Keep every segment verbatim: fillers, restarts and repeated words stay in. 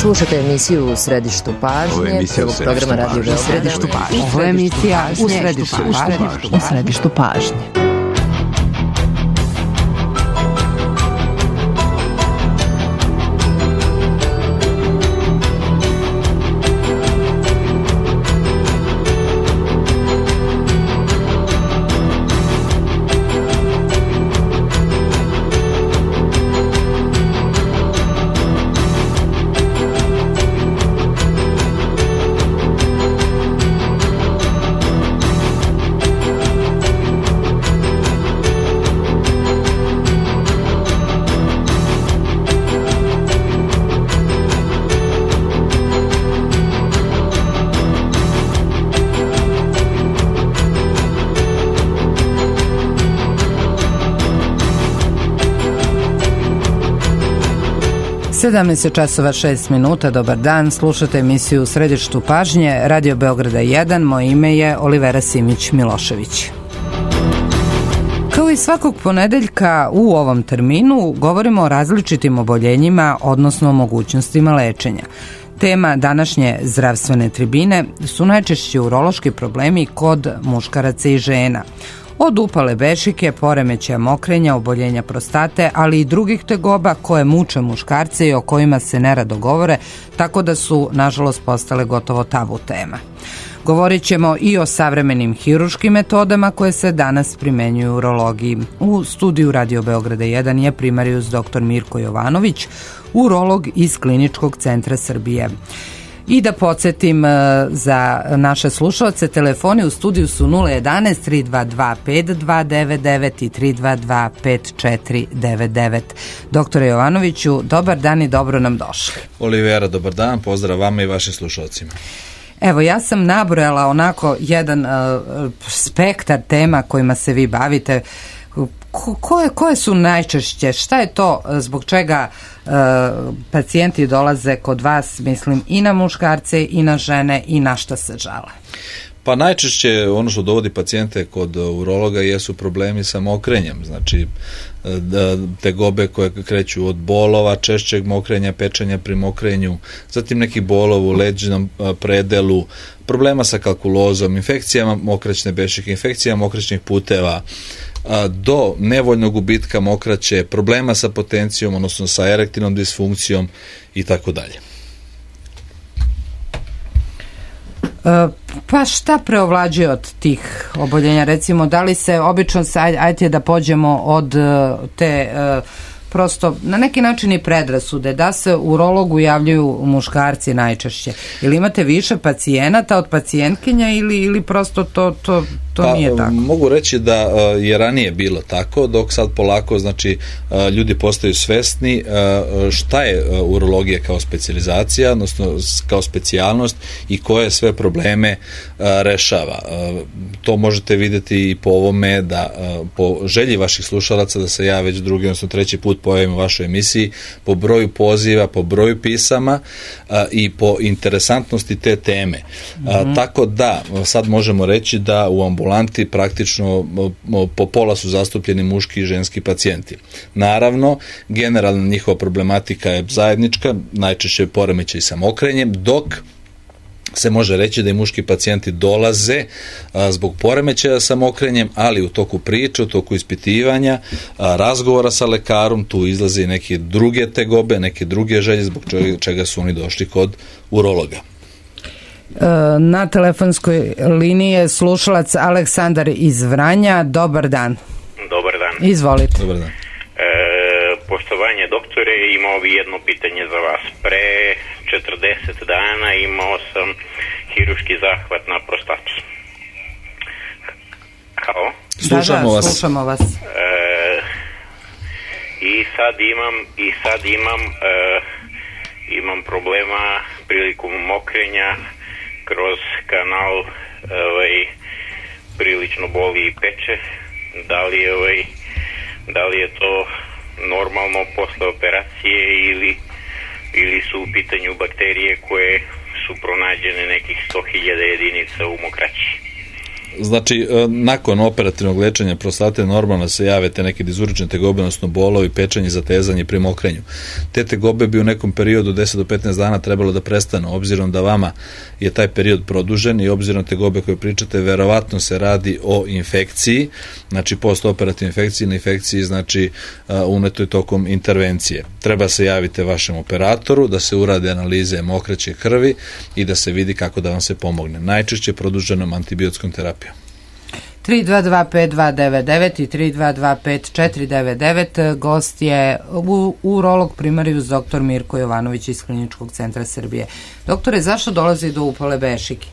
Slušajte emisiju U središtu pažnje, prvog programa Radio Beograd. U središtu pažnje. Ovo je emisija U središtu pažnje. U središtu pažnje. sedamnaest časova šest minuta, dobar dan, slušate emisiju U središtu pažnje, Radio Beograda jedan, moje ime je Olivera Simić-Milošević. Kao i svakog ponedeljka u ovom terminu govorimo o različitim oboljenjima, odnosno o mogućnostima lečenja. Tema današnje zdravstvene tribine su najčešće urološki problemi kod muškaraca i žena. Od upale bešike, poremećaja mokrenja, oboljenja prostate, ali i drugih tegoba koje muče muškarce i o kojima se nerado govore, tako da su, nažalost, postale gotovo tabu tema. Govorit ćemo i o savremenim hiruškim metodama koje se danas primenjuju u urologiji. U studiju Radio Beograda jedan je primarijus doktor Mirko Jovanović, urolog iz Kliničkog centra Srbije. I da podsjetim za naše slušalce, telefoni u studiju su nula jedanaest tri dva dva pet dva devet devet i tri dva dva pet četiri devet devet. Doktore Jovanoviću, dobar dan i dobro nam došli. Olivera, dobar dan, pozdrav vama i vašim slušalcima. Evo, ja sam nabrojala onako jedan uh, spektar tema kojima se vi bavite. Ko, koje, koje su najčešće, šta je to zbog čega uh, pacijenti dolaze kod vas, mislim, i na muškarce i na žene i na šta se žale? Pa najčešće ono što dovodi pacijente kod urologa jesu problemi sa mokrenjem, znači tegobe koje kreću od bolova, češćeg mokrenja, pečenja pri mokrenju, zatim neki bolov u leđnom predelu, problema sa kalkulozom, infekcijama mokraćne bešike, infekcijama mokraćnih puteva, do nevoljnog gubitka mokraće, problema sa potencijom, odnosno sa erektilnom disfunkcijom i tako dalje. Pa šta preovlađuje od tih oboljenja? Recimo, da li se obično, ajte da pođemo od te prosto na neki način i predrasude, da se urologu javljaju muškarci najčešće. Ili imate više pacijenata od pacijentkinja ili, ili prosto to, to, to pa, nije tako? Mogu reći da je ranije bilo tako, dok sad polako znači ljudi postaju svesni šta je urologija kao specijalizacija, odnosno kao specijalnost i koje sve probleme rešava. To možete vidjeti i po ovome da po želji vaših slušalaca da se ja već drugi, odnosno treći put pojavim u vašoj emisiji, po broju poziva, po broju pisama a, i po interesantnosti te teme. A, mm-hmm. Tako da, sad možemo reći da u ambulanti praktično po pola su zastupljeni muški i ženski pacijenti. Naravno, generalna njihova problematika je zajednička, najčešće poremećaj sa mokrenjem, dok se može reći da i muški pacijenti dolaze a, zbog poremećaja sa mokrenjem, ali u toku priče, u toku ispitivanja, a, razgovora sa lekarom, tu izlaze i neke druge tegobe, neke druge želje zbog čega, čega su oni došli kod urologa. Na telefonskoj liniji je slušalac Aleksandar iz Vranja. Dobar dan. Dobar dan. Izvolite. Dobar dan. E, poštovanje doktore, imao bi jedno pitanje za vas. Pre četrdeset dana imao sam hiruški zahvat na prostati. Halo? Slušamo da, da, vas. Slušamo vas. E, I sad imam, i sad imam, e, imam problema prilikom mokrenja kroz kanal, ovaj, prilično boli i peče. Da li je, ovaj, da li je to normalno posle operacije ili ili su u pitanju bakterije koje su pronađene nekih sto hiljada jedinica u mokraći? Znači, nakon operativnog lečenja prostate normalno se jave te neke dizurične tegobe, odnosno bolovi, pečenje, zatezanje pri mokrenju. Te tegobe bi u nekom periodu deset do petnaest dana trebalo da prestanu, obzirom da vama je taj period produžen i obzirom na tegobe koje pričate, verovatno se radi o infekciji, znači postoperativnoj infekciji, na infekciji znači unetoj tokom intervencije. Treba se javiti vašem operatoru, da se urade analize mokraće krvi i da se vidi kako da vam se pomogne. Najčešće produženom antibiotskom terapijom. tri dva dva pet dva devet devet i tri dva dva pet četiri devet devet. Gost je u, urolog primarijus doktor Mirko Jovanović iz Kliničkog centra Srbije. Doktore, zašto dolazi do upale bešike?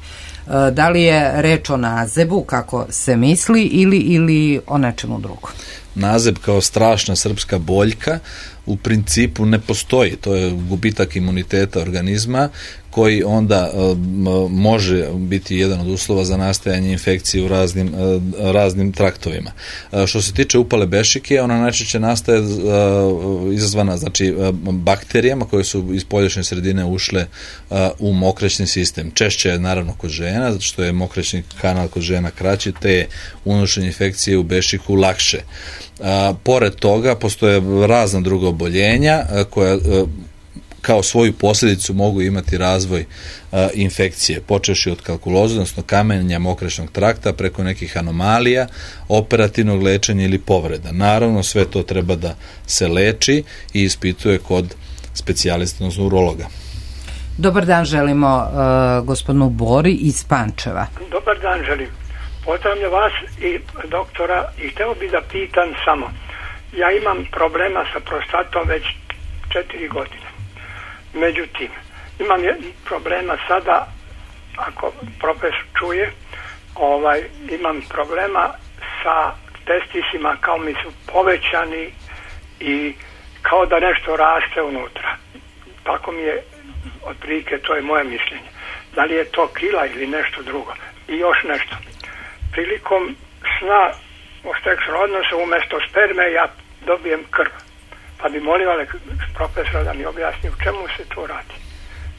Da li je reč o nazebu, kako se misli, ili, ili o nečemu drugom? Nazeb kao strašna srpska boljka u principu ne postoji. To je gubitak imuniteta organizma koji onda uh, može biti jedan od uslova za nastajanje infekcije u raznim, uh, raznim traktovima. Uh, što se tiče upale bešike, ona najčešće nastaje uh, izazvana znači, uh, bakterijama koje su iz poljašnje sredine ušle uh, u mokraćni sistem. Češće je naravno kod žena, zato što je mokraćni kanal kod žena kraći, te je unošenje infekcije u bešiku lakše. Uh, pored toga, postoje razna druga oboljenja uh, koja uh, kao svoju posljedicu mogu imati razvoj uh, infekcije, počevši od kalkuloze, odnosno kamenja mokraćnog trakta, preko nekih anomalija, operativnog lečenja ili povreda. Naravno, sve to treba da se leči i ispituje kod specijalista, odnosno urologa. Dobar dan želimo uh, gospodinu Bori iz Pančeva. Dobar dan želim. Pozdravljam vas i doktora i hteo bi da pitam samo. Ja imam problema sa prostatom već četiri godine. Međutim, imam problema sada, ako profesor čuje, ovaj, imam problema sa testisima, kao mi su povećani i kao da nešto raste unutra. Tako mi je, otprilike, to je moje mišljenje. Da li je to krila ili nešto drugo? I još nešto. Prilikom sna u seksualnom odnosu umjesto sperme ja dobijem krv. Pa bi molila profesora da mi objasni u čemu se to radi.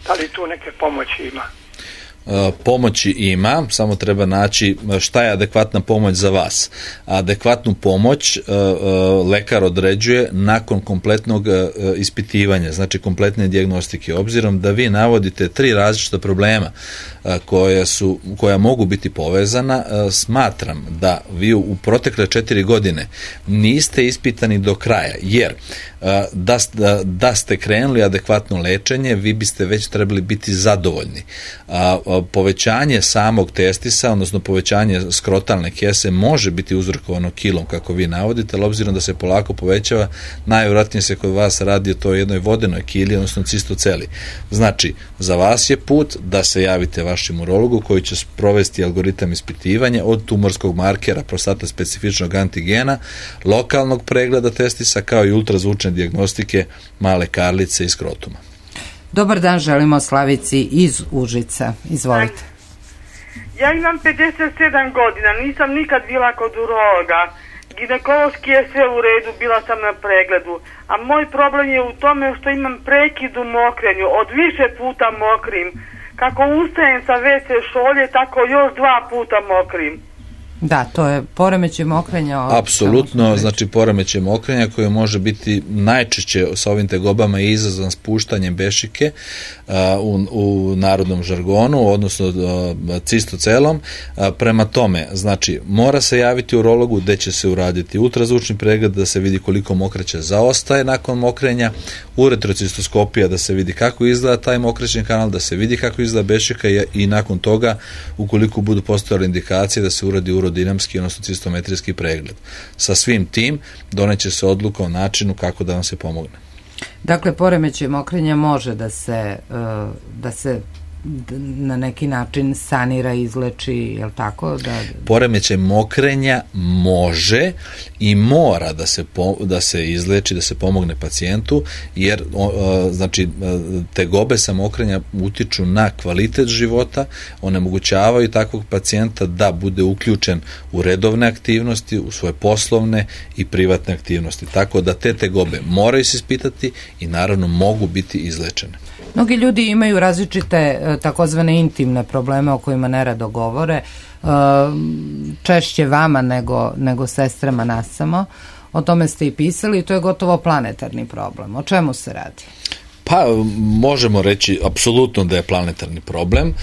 Da li tu neke pomoći ima? Pomoći ima, samo treba naći šta je adekvatna pomoć za vas. Adekvatnu pomoć lekar određuje nakon kompletnog ispitivanja, znači kompletne dijagnostike. Obzirom da vi navodite tri različita problema koja, su, koja mogu biti povezana, smatram da vi u protekle četiri godine niste ispitani do kraja, jer da, da, da ste krenuli adekvatno lečenje, vi biste već trebali biti zadovoljni. Povećanje samog testisa, odnosno povećanje skrotalne kese može biti uzrokovano kilom, kako vi navodite, ali obzirom da se polako povećava, najvjerojatnije se kod vas radi o toj jednoj vodenoj kili, odnosno cistoceli. Znači, za vas je put da se javite vašem urologu koji će provesti algoritam ispitivanja od tumorskog markera, prostata specifičnog antigena, lokalnog pregleda testisa, kao i ultrazvučne dijagnostike male karlice i skrotuma. Dobar dan, želimo Slavici iz Užica. Izvolite. Ja imam pedeset sedam godina, nisam nikad bila kod urologa. Ginekološki je sve u redu, bila sam na pregledu. A moj problem je u tome što imam prekid u mokrenju, od više puta mokrim. Kako ustajem sa ve ce šolje, tako još dva puta mokrim. Da, to je poremećaj mokrenja. Apsolutno, znači poremećaj mokrenja koji može biti najčešće sa ovim tegobama i izazvan spuštanjem bešike uh, u, u narodnom žargonu, odnosno uh, cistocelom. Uh, prema tome, znači, mora se javiti urologu gde će se uraditi ultrazvučni pregled da se vidi koliko mokraća zaostaje nakon mokrenja, uretrocistoskopija da se vidi kako izgleda taj mokraćni kanal, da se vidi kako izgleda bešika i, i nakon toga, ukoliko budu postojale indikacije, da se uradi urodinamski, odnosno cistometrijski pregled. Sa svim tim doneće se odluka o načinu kako da vam se pomogne. Dakle, poremećaj mokrenja može da se, da se na neki način sanira, izleči, je li tako? Da... Poremećaj mokrenja može i mora da se, po, da se izleči, da se pomogne pacijentu, jer o, znači, tegobe sa mokrenja utiču na kvalitet života, onemogućavaju takvog pacijenta da bude uključen u redovne aktivnosti, u svoje poslovne i privatne aktivnosti. Tako da te tegobe moraju se ispitati i naravno mogu biti izlečene. Mnogi ljudi imaju različite takozvane intimne probleme o kojima nerado govore, češće vama nego, nego sestrama nas samo. O tome ste i pisali i to je gotovo planetarni problem. O čemu se radi? Pa možemo reći apsolutno da je planetarni problem.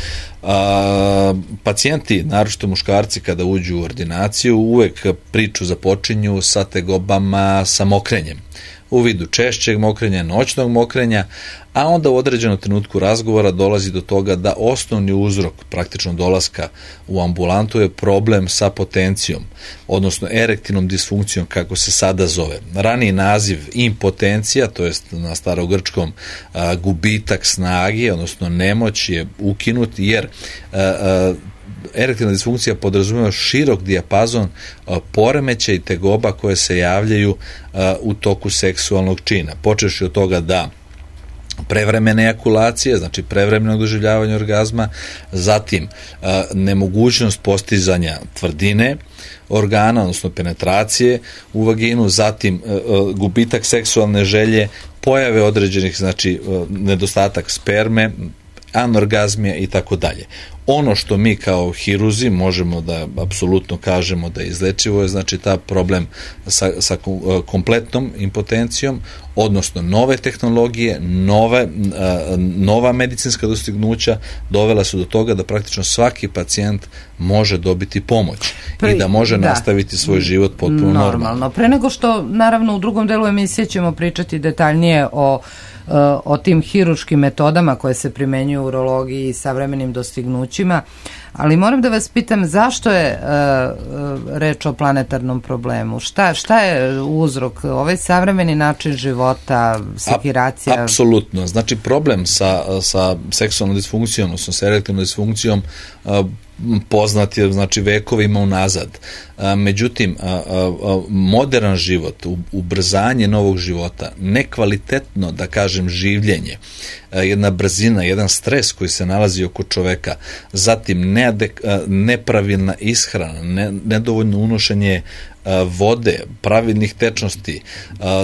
A, pacijenti, naročito muškarci, kada uđu u ordinaciju, uvek priču započinju sa tegobama, sa mokrenjem. U vidu češćeg mokrenja, noćnog mokrenja, a onda u određenom trenutku razgovora dolazi do toga da osnovni uzrok praktično dolaska u ambulantu je problem sa potencijom, odnosno erektilnom disfunkcijom, kako se sada zove. Raniji naziv impotencija, to jest na starogrčkom a, gubitak snage, odnosno nemoć, je ukinut, jer a, a, erektilna disfunkcija podrazumijeva širok dijapazon poremećaja i tegoba koje se javljaju a, u toku seksualnog čina. Počevši od toga da prevremene ejakulacije, znači prevremeno doživljavanje orgazma, zatim a, nemogućnost postizanja tvrdine organa, odnosno penetracije u vaginu, zatim a, a, gubitak seksualne želje, pojave određenih, znači a, nedostatak sperme, anorgazmija i tako dalje. Ono što mi kao hiruzi možemo da apsolutno kažemo da je izlečivo je, znači, ta problem sa, sa kompletnom impotencijom, odnosno nove tehnologije, nove, nova medicinska dostignuća dovela su do toga da praktično svaki pacijent može dobiti pomoć Pre, i da može da. nastaviti svoj život potpuno normalno. normalno. Pre nego što, naravno, u drugom delu emisije ćemo pričati detaljnije o o tim hiruškim metodama koje se primenjuju u urologiji i savremenim dostignućima, ali moram da vas pitam zašto je uh, reč o planetarnom problemu? Šta, šta je uzrok? Ovaj savremeni način života, sekiracija? Apsolutno. Znači, problem sa, sa seksualnom disfunkcijom, odnosno sa erektilnom disfunkcijom, uh, poznat je, znači, vekovima unazad. A, međutim, a, a, modern život, ubrzanje novog života, nekvalitetno, da kažem, življenje, a, jedna brzina, jedan stres koji se nalazi oko čoveka, zatim neadek, a, nepravilna ishrana, ne, nedovoljno unošenje vode, pravilnih tečnosti,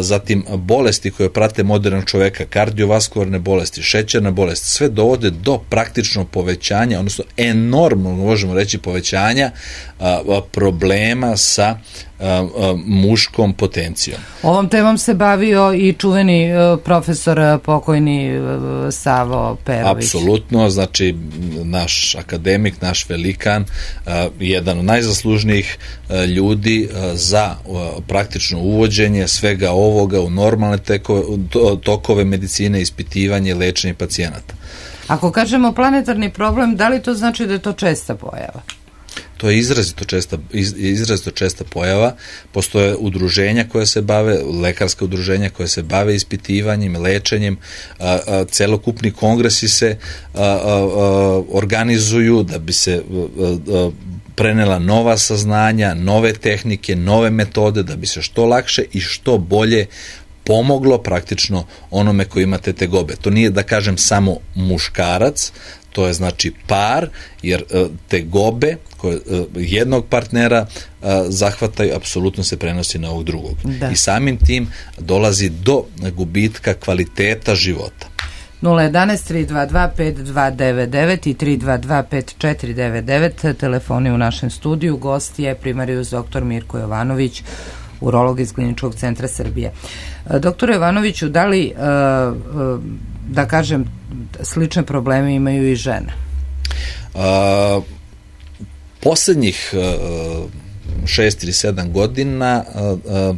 zatim bolesti koje prate modernog čoveka, kardiovaskularne bolesti, šećerna bolest, sve dovode do praktično povećanja, odnosno enormno, možemo reći, povećanja problema sa muškom potencijom. Ovom temom se bavio i čuveni profesor pokojni Savo Perović. Apsolutno, znači naš akademik, naš velikan, jedan od najzaslužnijih ljudi za praktično uvođenje svega ovoga u normalne tekove, tokove medicine, ispitivanje i lečenje pacijenata. Ako kažemo planetarni problem, da li to znači da je to česta pojava? To je izrazito česta, izrazito česta pojava. Postoje udruženja koje se bave, lekarska udruženja koje se bave ispitivanjem, lečenjem, a, a, celokupni kongresi se a, a, a, organizuju da bi se a, a, prenela nova saznanja, nove tehnike, nove metode, da bi se što lakše i što bolje pomoglo praktično onome koji ima te tegobe. To nije, da kažem, samo muškarac, to je, znači, par, jer tegobe koje jednog partnera zahvataju, apsolutno se prenosi na ovog drugog. Da. I samim tim dolazi do gubitka kvaliteta života. nula jedanaest tri dva dva pet dva devet devet i tri dva dva pet četiri devet devet, telefoni u našem studiju. Gost je primarijus doktor Mirko Jovanović, urolog iz Kliničkog centra Srbije. Doktor Jovanoviću, da li, da kažem, slične probleme imaju i žene? A, poslednjih šest ili sedam godina a, a,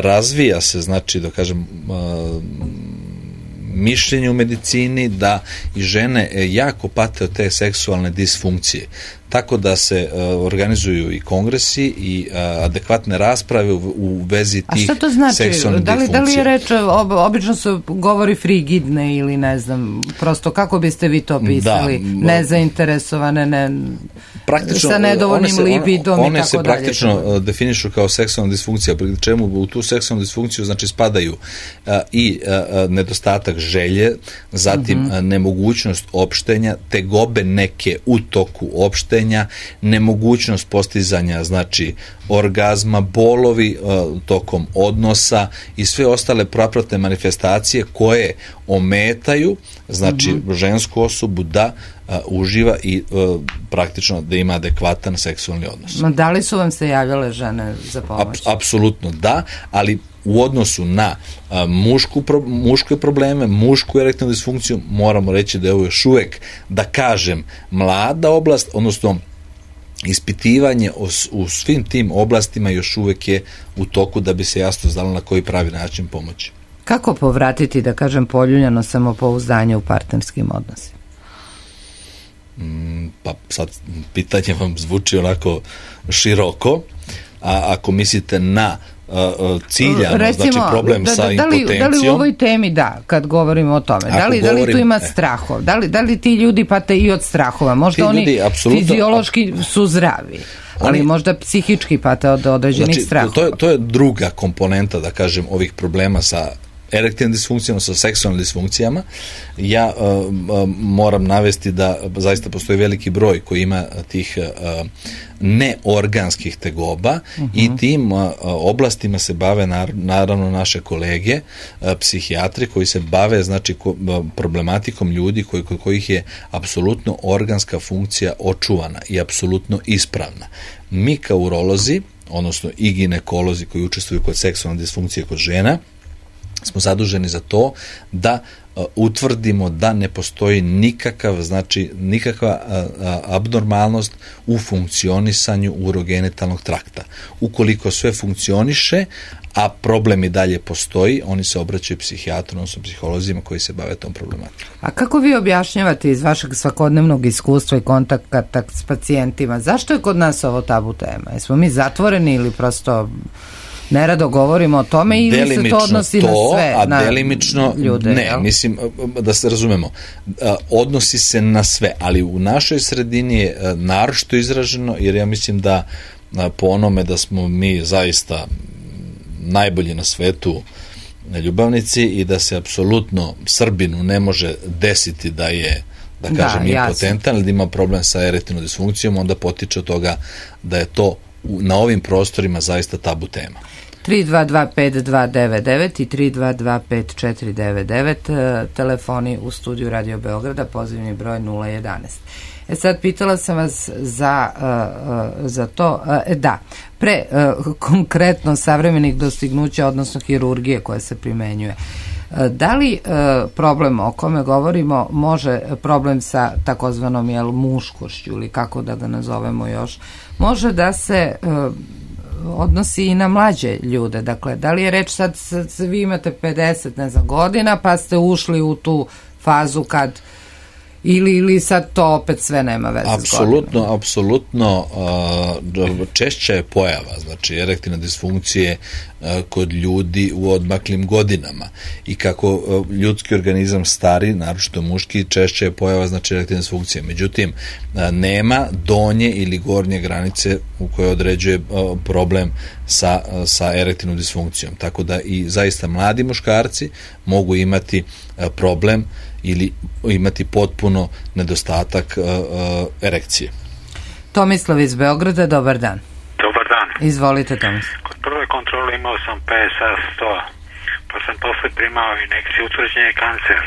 razvija se, znači, da kažem, a, mišljenje u medicini da i žene jako pate od te seksualne disfunkcije. Tako da se uh, organizuju i kongresi i uh, adekvatne rasprave u, u vezi tih seksualnih disfunkcija. A šta to znači? Da li, da li je reč, ob, obično se govori frigidne ili ne znam, prosto kako biste vi to pisali? Da, nezainteresovane, ne, sa nedovoljnim se, libidom one, one i tako dalje. One se praktično dalje. definišu kao seksualna disfunkcija, pri čemu u tu seksualnu disfunkciju, znači, spadaju uh, i uh, nedostatak želje, zatim uh-huh. uh, nemogućnost opštenja, tegobe neke u toku opštenja, korištenja, nemogućnost postizanja znači orgazma, bolovi uh, tokom odnosa i sve ostale propratne manifestacije koje ometaju znači mm-hmm. žensku osobu da uh, uživa i uh, praktično da ima adekvatan seksualni odnos. Ma da li su vam se javljale žene za pomoć? Ap, apsolutno da, ali u odnosu na a, mušku, pro, muške probleme, mušku erektilnu disfunkciju, moramo reći da je ovo još uvek, da kažem, mlada oblast, odnosno ispitivanje o, u svim tim oblastima još uvek je u toku da bi se jasno znalo na koji pravi način pomoći. Kako povratiti, da kažem, poljuljano samopouzdanje u partnerskim odnosima? Mm, pa sad pitanje vam zvuči onako široko, a ako mislite na ciljano, recimo, znači problem da, da, sa da li, impotencijom. Da li u ovoj temi, da, kad govorimo o tome, da li, govorim, da li tu ima strahov? Da li, da li ti ljudi pate i od strahova? Možda oni ljudi, fiziološki su zdravi, ali oni, možda psihički pate od određenih znači, strahova. To je, to je druga komponenta, da kažem, ovih problema sa erektilnim disfunkcijama, sa seksualnim disfunkcijama. Ja uh, uh, moram navesti da zaista postoji veliki broj koji ima tih uh, neorganskih tegoba uh-huh. i tim uh, oblastima se bave nar- naravno naše kolege, uh, psihijatri koji se bave znači ko, uh, problematikom ljudi koji, kod kojih je apsolutno organska funkcija očuvana i apsolutno ispravna. Mi kao urolozi, odnosno i ginekolozi koji učestvuju kod seksualne disfunkcije kod žena, smo zaduženi za to da uh, utvrdimo da ne postoji nikakav, znači nikakva uh, abnormalnost u funkcionisanju urogenitalnog trakta. Ukoliko sve funkcioniše, a problem i dalje postoji, oni se obraćaju psihijatru, odnosno psiholozima koji se bave tom problematikom. A kako vi objašnjavate iz vašeg svakodnevnog iskustva i kontakta s pacijentima, zašto je kod nas ovo tabu tema? Jesmo mi zatvoreni ili prosto nerado govorimo o tome ili delimično se to odnosi to, na sve, a na delimično ljude? Ne, jel? Mislim, da se razumemo, odnosi se na sve, ali u našoj sredini je naročito izraženo, jer ja mislim da po onome da smo mi zaista najbolji na svetu ljubavnici i da se apsolutno Srbinu ne može desiti da je, da kažem, da, impotentan ili da ima problem sa erektilnom disfunkcijom, onda potiče od toga da je to na ovim prostorima zaista tabu tema. tri dva dva pet dva devet devet i tri dva dva pet četiri devet devet, telefoni u studiju Radio Beograda, pozivni broj nula jedanaest. E sad, pitala sam vas za, uh, za to, uh, da, pre uh, konkretno savremenih dostignuća, odnosno hirurgije koja se primenjuje. Uh, da li uh, problem o kome govorimo može problem sa takozvanom jel, muškošću ili kako da ga nazovemo još, može da se uh, odnosi i na mlađe ljude? Dakle, da li je reč sad, sad vi imate pedeset ne znam, godina pa ste ušli u tu fazu kad Ili, ili sad to opet sve nema veze apsolutno, s godinama? Apsolutno, uh, češća je pojava, znači erektilne disfunkcije uh, kod ljudi u odmaklim godinama i kako uh, ljudski organizam stari, naročito muški, češća je pojava znači erektilne disfunkcije. Međutim, uh, nema donje ili gornje granice u kojoj određuje uh, problem sa, uh, sa erektilnom disfunkcijom. Tako da i zaista mladi muškarci mogu imati uh, problem ili imati potpuno nedostatak uh, uh, erekcije. Tomislav iz Beograda, dobar dan. Dobar dan. Izvolite, Tomislav. Kod prve kontrole imao sam P S A sto, pa sam posle primao injekciju, utvrđen je kancer.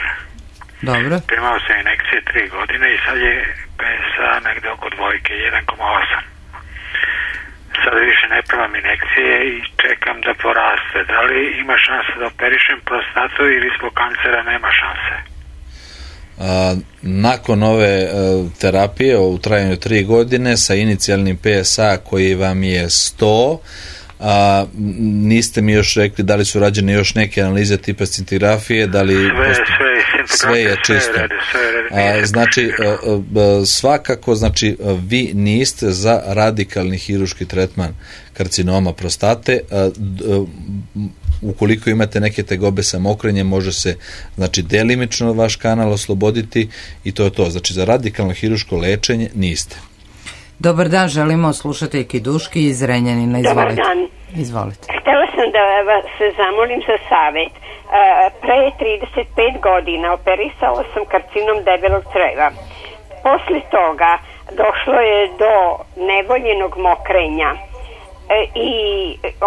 Dobro. Primao sam injekcije tri godine i sad je P S A negde oko dvojke, jedan zarez osam. Sad više ne primam injekcije i čekam da poraste. Da li ima šanse da operišem prostatu ili zbog kancera nema šanse? A, nakon ove a, terapije u trajanju tri godine sa inicijalnim P S A koji vam je sto, a, niste mi još rekli da li su rađene još neke analize tipa scintigrafije, da li sve, posto... sve, sve je čisto. Sve rede, sve rede. A, znači, a, a, svakako, znači, vi niste za radikalni hirurški tretman karcinoma prostate. A, a, ukoliko imate neke tegobe sa mokrenjem, može se, znači, delimično vaš kanal osloboditi i to je to. Znači, za radikalno hirurško lečenje niste. Dobar dan, želimo slušateljki Duški iz Renjanina. Izvolite. Dobar dan. Izvolite. Htela sam da vas se zamolim za savjet. Pre trideset pet godina operisala sam karcinom debelog creva. Posle toga došlo je do nevoljenog mokrenja. E, i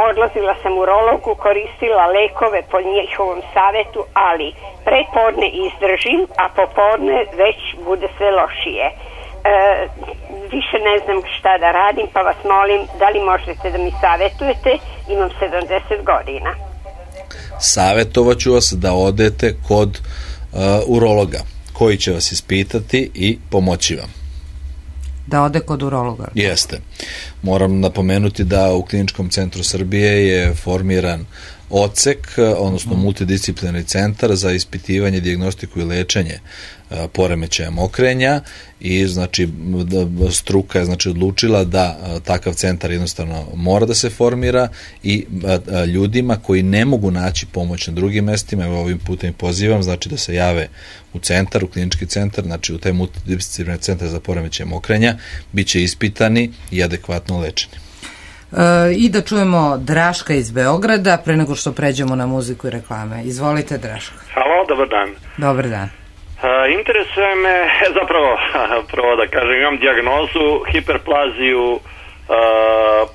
odlazila sam urologu, koristila lekove po njihovom savjetu, ali prepodne izdržim, a popodne već bude sve lošije. E, više ne znam šta da radim, pa vas molim da li možete da mi savjetujete, imam sedamdeset godina. Savjetovat ću vas da odete kod uh, urologa koji će vas ispitati i pomoći vam. Da ode kod urologa. Jeste. Moram napomenuti da u Kliničkom centru Srbije je formiran odsek, odnosno multidisciplinarni centar za ispitivanje, dijagnostiku i lečenje poremećaja mokrenja i znači struka je znači odlučila da takav centar jednostavno mora da se formira i ljudima koji ne mogu naći pomoć na drugim mestima, evo ovim putem pozivam, znači da se jave u centar, u klinički centar, znači u taj multidisciplinarni centar za poremećaje mokrenja, bit će ispitani i adekvatno lečeni. E, I da čujemo Draška iz Beograda pre nego što pređemo na muziku i reklame. Izvolite, Draška. Halo, dobar dan. Dobar dan. Uh, interesuje me, zapravo, prvo da kažem, imam dijagnozu hiperplaziju uh,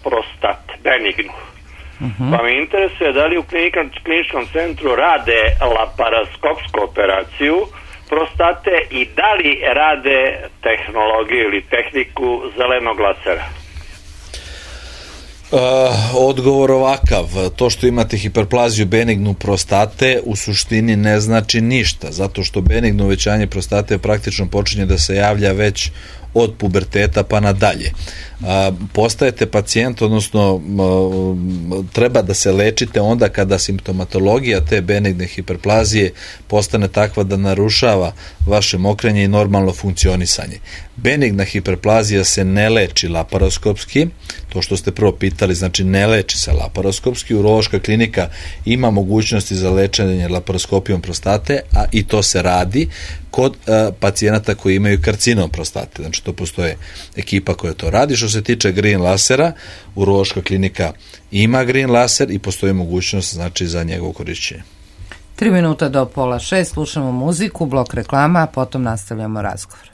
prostate, benignu. Uh-huh. Pa me interesuje da li u kliničkom centru rade laparoskopsku operaciju prostate i da li rade tehnologiju ili tehniku zelenog lasera. Uh, odgovor ovakav, to što imate hiperplaziju benignu prostate u suštini ne znači ništa, zato što benigno uvećanje prostate praktično počinje da se javlja već od puberteta pa nadalje. A, postajete pacijent, odnosno a, treba da se lečite onda kada simptomatologija te benigne hiperplazije postane takva da narušava vaše mokrenje i normalno funkcionisanje. Benigna hiperplazija se ne leči laparoskopski, to što ste prvo pitali, znači ne leči se laparoskopski, urološka klinika ima mogućnosti za lečenje laparoskopijom prostate, a i to se radi kod a, pacijenata koji imaju karcinom prostate, znači to postoje ekipa koja to radi. Što se tiče green lasera, urološka klinika ima green laser i postoji mogućnost znači za njegovo korišćenje. Tri minuta do pola šest, slušamo muziku, blok reklama, a potom nastavljamo razgovor.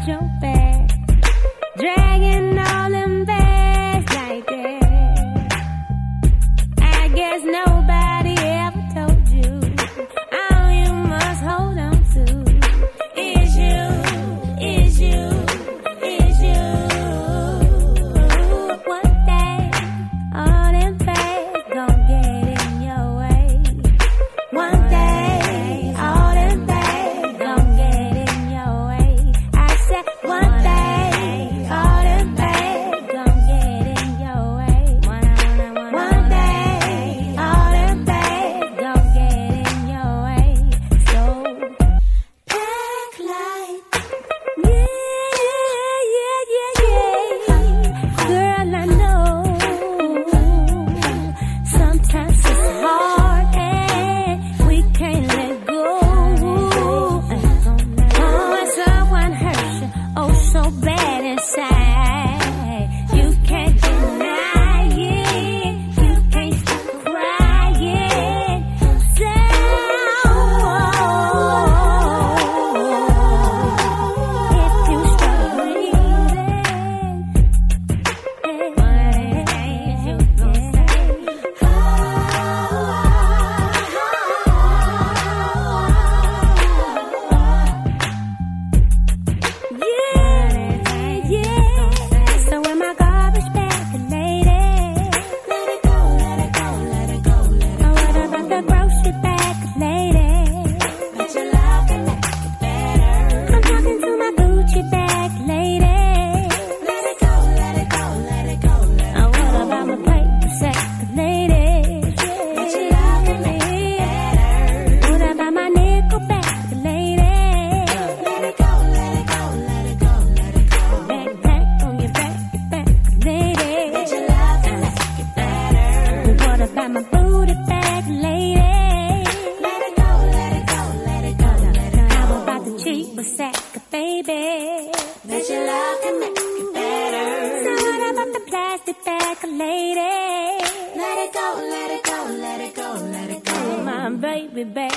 Your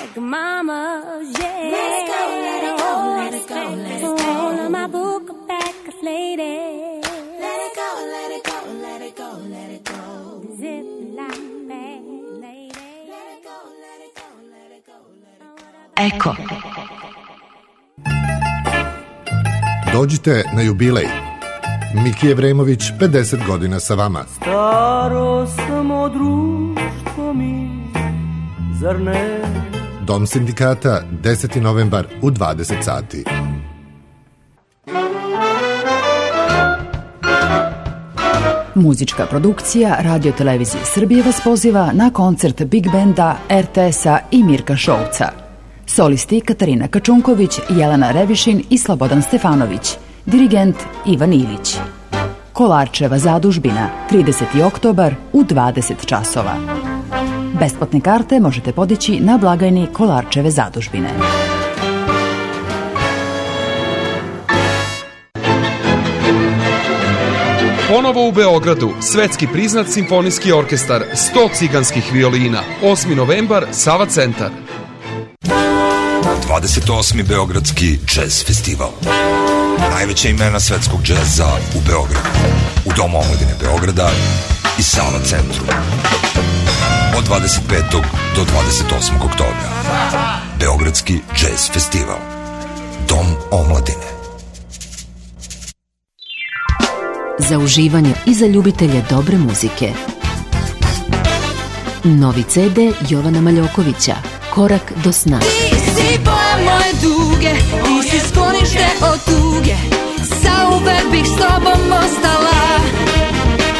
like mama's, yeah. Let it go, let it go, let it go, let it go. Oh, my book back, lady. Let it go, let it go, let it go, let it go. Zip like that, lady. Let it go, let it go, let it go, let it go. Eko. Dođite na jubilej. Miki Evremović, pedeset godina sa vama. Staro samo društvo mi, zar ne? Dom sindikata, deseti novembar u dvadeset sati. Muzička produkcija Radio Televizije Srbije vas poziva na koncert Big Benda, er te es-a i Mirka Šolca. Solisti Katarina Kačunković, Jelena Revišin i Slobodan Stefanović. Dirigent Ivan Ilić. Kolarčeva zadužbina, trideseti oktobar u dvadeset časova. Besplatne karte možete podići na blagajni Kolarčeve zadužbine. Ponovo u Beogradu, svetski priznat simfonijski orkestar, sto ciganskih violina, osmi novembar, Sava centar. dvadeset osmi Beogradski džez festival. Najveća imena svetskog džeza u Beogradu, u Domu omladine Beograda i Sava centru. Od dvadeset petog do dvadeset osmog oktobra. Beogradski džez festival. Dom omladine. Za uživanje i za ljubitelje dobre muzike. Novi ce de Jovana Maljokovića, Korak do sna. Ti si boja moje duge, ti si sklonište od tuge, zauvek bih s tobom ostala.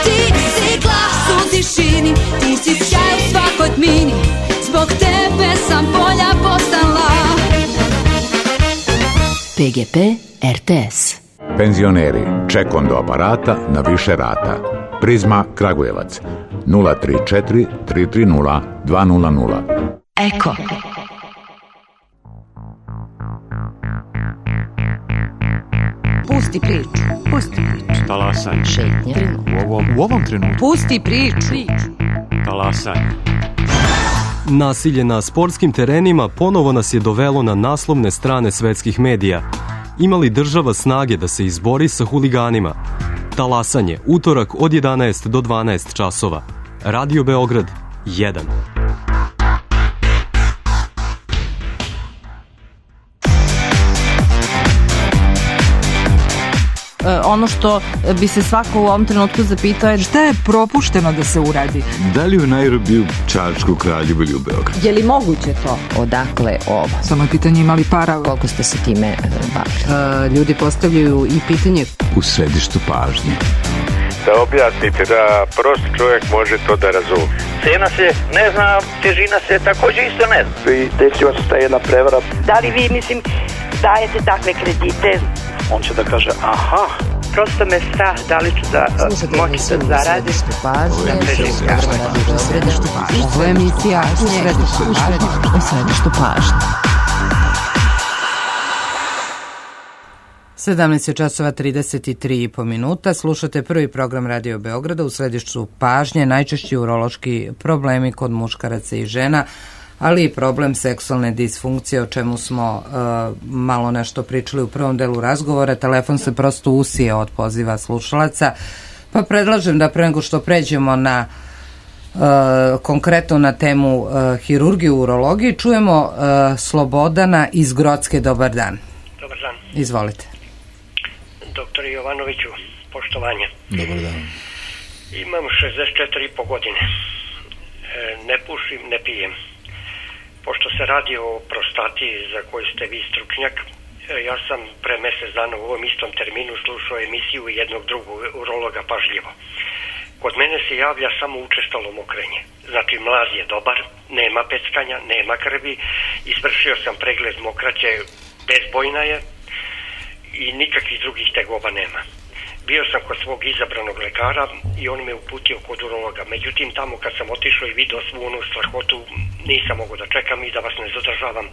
Ti si glas u tišini, ti si sjaj u svakoj tmini, zbog tebe sam bolja postala. pe ge pe er te es. Penzioneri, ček do aparata na više rata. Prizma Kragujevac, nula tri četiri tri tri nula dva nula nula. Eko. Pusti priču, pusti priču. Talasanje. Šetnja. U ovom, u ovom trenutku. Pusti priču. Talasanje. Nasilje na sportskim terenima ponovo nas je dovelo na naslovne strane svetskih medija. Ima li država snage da se izbori sa huliganima? Talasanje, utorak od jedanaest do dvanaest časova. Radio Beograd, jedan. Ono što bi se svako u ovom trenutku zapitao je šta je propušteno da se uradi. Da li u Nairobiju, Čačku, Kraljevu ili u Beogradu? Je li moguće to? Odakle ovo? Samo je pitanje imali para. Koliko ste se time bavili? Ljudi postavljaju i pitanje u središtu pažnje. Da objasnite da prost čovjek može to da razumije. Cena se ne zna, težina se također isto ne zna. I desila se ta jedna prevara. Da li vi, mislim, dajete takve kredite? On će da kaže, aha, prosto me strah da li ću da moći da zaradim. Ovo je emisija u središtu pažnje. sedamnaest časova trideset tri i po minuta. Slušate prvi program Radio Beograda u središtu pažnje, najčešći urološki problemi kod muškaraca i žena, ali i problem seksualne disfunkcije, o čemu smo uh, malo nešto pričali u prvom delu razgovora. Telefon se prosto usije od poziva slušalaca, pa predlažem da pre nego što pređemo na uh, konkretno na temu uh, hirurgije u urologiji, čujemo uh, Slobodana iz Grocke. Dobar dan. Dobar dan. Izvolite. Doktor Jovanoviću, poštovanje. Dobar dan. Imam šezdeset četiri i po godine. E, ne pušim, ne pijem. Pošto se radi o prostati za koju ste vi stručnjak, ja sam pre mjesec dana u ovom istom terminu slušao emisiju jednog drugog urologa pažljivo. Kod mene se javlja samo učestalo mokrenje. Znači mlaz je dobar, nema peckanja, nema krvi, izvršio sam pregled mokraće, bezbojna je i nikakvih drugih tegoba nema. Bio sam kod svog izabranog lekara i on me uputio kod urologa. Međutim, tamo kad sam otišao i vidio svu onu strahotu, nisam mogao da čekam i da vas ne zadržavam.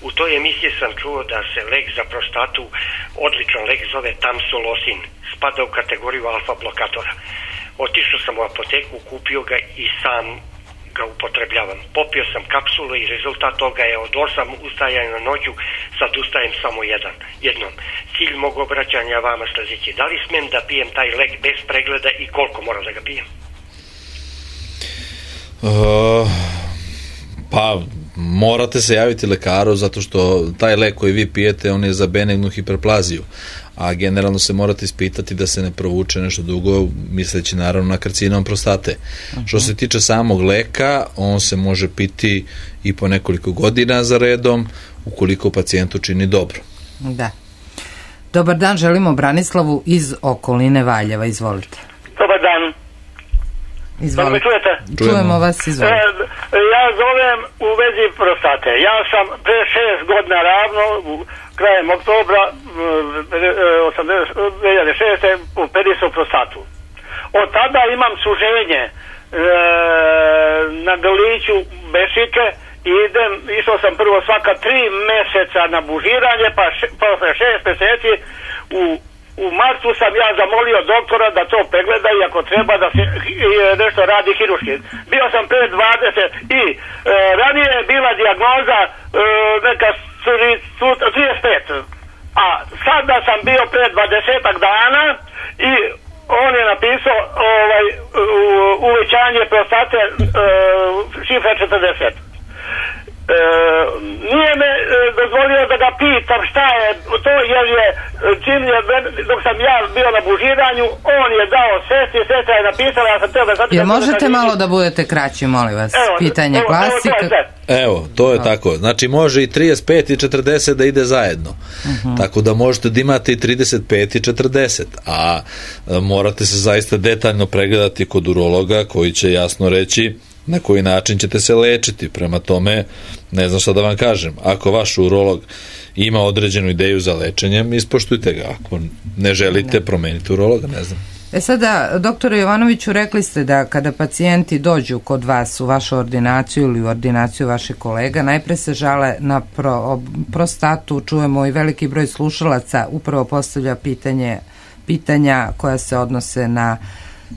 U toj emisiji sam čuo da se lek za prostatu, odličan lek, zove Tamsulosin. Spada u kategoriju alfa blokatora. Otišao sam u apoteku, kupio ga i sam ga upotrebljavam. Popio sam kapsulu i rezultat toga je od osam ustajanja na noću, sad ustajem samo jedan, jednom. Cilj mog obraćanja vama sljedeći. Da li smijem da pijem taj lek bez pregleda i koliko moram da ga pijem? Uh, pa morate se javiti lekaru zato što taj lek koji vi pijete on je za benignu hiperplaziju, a generalno se morate ispitati da se ne provuče nešto dugo, misleći naravno na karcinom prostate. Uh-huh. Što se tiče samog leka, on se može piti i po nekoliko godina za redom ukoliko pacijentu čini dobro. Da. Dobar dan, želimo Branislavu iz okoline Valjeva, izvolite. Dobar dan. Izvolite. Da me čujete? Čujemo vas, izvolite. E, ja zovem u vezi prostate. Ja sam pre šest godina ravno, krajem oktobra dve hiljade šeste operisao prostatu. Od tada imam suženje e, na grliću bešike i idem, išao sam prvo svaka tri meseca na bužiranje, pa še, posle šest meseci u U martu sam ja zamolio doktora da to pregleda i ako treba da se nešto radi hiruški. Bio sam pre dvadeset i e, ranije je bila dijagnoza e, neka trideset pet. A sada sam bio pre dvadesetak dana i on je napisao ovaj, uvećanje prostate e, šifra četrdeset. E, nije me e, dozvolio da ga pitam šta je to, jer je čim je, dok sam ja bio na bužiranju, on je dao sestri, sestra je napisala, ja sam teo da zapitam. Jel možete malo da budete kraći, molim vas? Evo, pitanje evo, glasi. Evo, to je, evo, to je tako. Znači može i trideset pet i četrdeset da ide zajedno. Uh-huh. Tako da možete da imate i trideset pet i četrdeset, a, a morate se zaista detaljno pregledati kod urologa koji će jasno reći na koji način ćete se lečiti. Prema tome, ne znam šta da vam kažem. Ako vaš urolog ima određenu ideju za lečenjem, ispoštujte ga. Ako ne želite, promenite urologa, ne znam. E sada, doktore Jovanoviću, rekli ste da kada pacijenti dođu kod vas u vašu ordinaciju ili u ordinaciju vaših kolega, najpre se žale na pro, prostatu, čujemo i veliki broj slušalaca upravo postavlja pitanje, pitanja koja se odnose na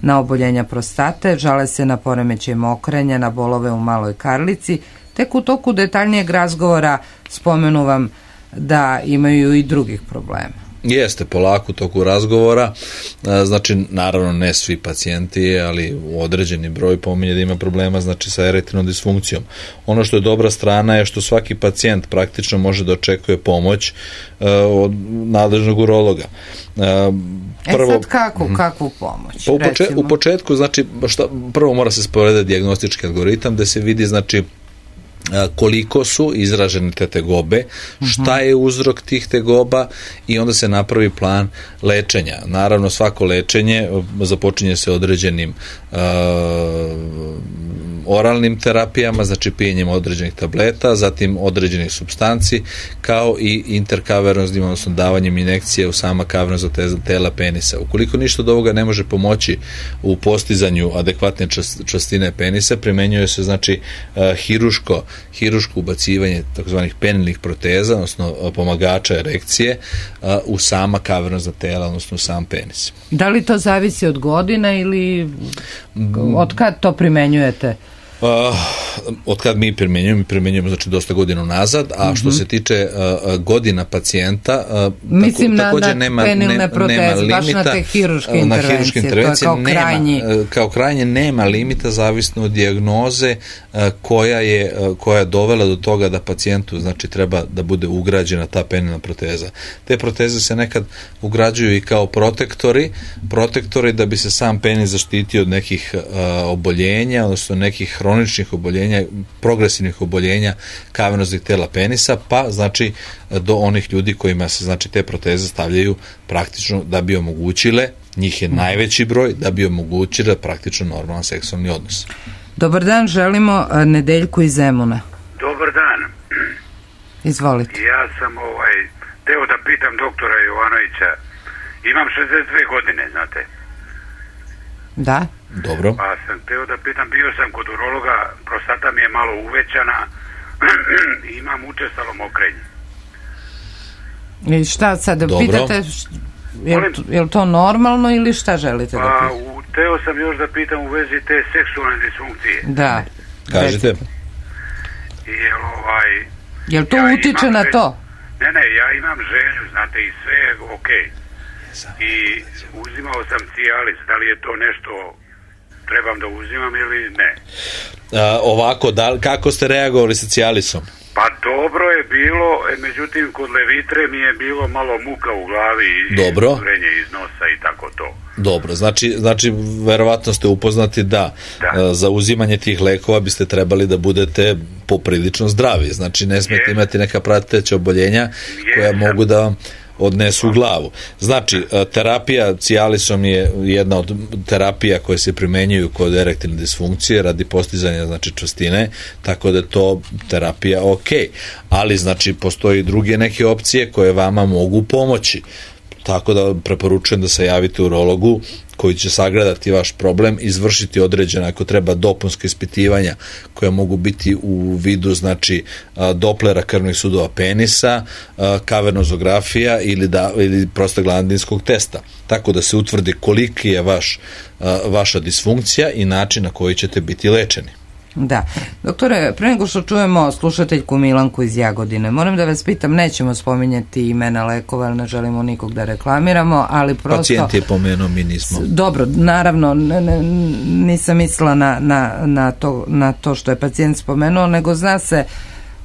na oboljenja prostate, žale se na poremećaj mokrenja, na bolove u maloj karlici. Tek u toku detaljnijeg razgovora spomenu vam da imaju i drugih problema. Jeste, polako u toku razgovora, znači naravno ne svi pacijenti, ali u određeni broj pominje da ima problema znači sa erektilnom disfunkcijom. Ono što je dobra strana je što svaki pacijent praktično može da očekuje pomoć uh, od nadležnog urologa. Uh, prvo, e sad kako, kakvu pomoć? Pa u, poče, u početku, znači, šta, prvo mora se sporedati dijagnostički algoritam da se vidi, znači, koliko su izražene te tegobe, šta je uzrok tih tegoba i onda se napravi plan lečenja. Naravno, svako lečenje započinje se određenim uh, oralnim terapijama, znači pijenjem određenih tableta, zatim određenih supstanci, kao i interkaveroznim, odnosno davanjem injekcije u sama kavernozna tela penisa. Ukoliko ništa od ovoga ne može pomoći u postizanju adekvatne čvrstine penisa, primenjuje se znači uh, hiruško, hiruško ubacivanje takozvanih penilnih proteza, odnosno pomagača erekcije uh, u sama kavernozna tela, odnosno u sam penis. Da li to zavisi od godina ili od kad to primenjujete? Uh, od kad mi primjenjujemo, mi primjenjujemo znači dosta godina nazad, a što mm-hmm. se tiče uh, godina pacijenta, uh, mislim tako, na, također na nema, penilne proteze, nema limita, baš na te hiruške uh, intervencije, intervencije, to je kao nema, krajnji. Kao krajnje nema limita zavisno od dijagnoze uh, koja je uh, koja je dovela do toga da pacijentu znači treba da bude ugrađena ta penilna proteza. Te proteze se nekad ugrađuju i kao protektori, protektori da bi se sam penis zaštitio od nekih uh, oboljenja, odnosno nekih hroničnih oboljenja, progresivnih oboljenja kavernoznih tela penisa, pa znači do onih ljudi kojima se znači te proteze stavljaju praktično da bi omogućile, njih je najveći broj, da bi omogućile praktično normalan seksualni odnos. Dobar dan, želimo Nedeljku iz Zemuna. Dobar dan. Izvolite. Ja sam ovaj, teo da pitam doktora Jovanovića, imam šezdeset dve godine, znate. Da. Dobro. Pa sam teo da pitam, bio sam kod urologa, prostata mi je malo uvećana i imam učestalo mokrenje. I šta sad, dobro. Pitate, je li, je li to normalno ili šta želite pa, da pitate? Pa, teo sam još da pitam u vezi te seksualne disfunkcije. Da. Kažite. I ovaj... Jel to ja utiče na želju, to? Ne, ne, ja imam želju, znate, i sve je okej. I uzimao sam Cialis, da li je to nešto trebam da uzimam ili ne? A, ovako, da, kako ste reagovali sa Cialisom? Pa dobro je bilo, međutim kod Levitre mi je bilo malo muka u glavi i Dobro. Vrenje iz nosa i tako to. Dobro, znači, znači verovatno ste upoznati da, da. za uzimanje tih lekova biste trebali da budete poprilično zdravi, znači ne smete imati neka prateća oboljenja koja mogu da vam odnesu u glavu. Znači, terapija Cialisom je jedna od terapija koje se primenjuju kod erektilne disfunkcije radi postizanja, znači, čvrstine, tako da je to terapija ok. Ali, znači, postoji druge neke opcije koje vama mogu pomoći. Tako da preporučujem da se javite urologu koji će sagledati vaš problem, izvršiti određena, ako treba, dopunska ispitivanja koja mogu biti u vidu, znači, doplera krvnih sudova penisa, kavernozografija ili, da, ili prostaglandinskog testa. Tako da se utvrdi koliki je vaš, vaša disfunkcija i način na koji ćete biti lečeni. Da. Doktore, pre nego što čujemo slušateljku Milanku iz Jagodine, moram da vas pitam, nećemo spominjati imena lekova, ali ne želimo nikog da reklamiramo, ali prosto... Pacijent je pomenuo, mi nismo. Dobro, naravno, ne, ne, nisam mislila na, na, na, to, na to što je pacijent spomenuo, nego zna se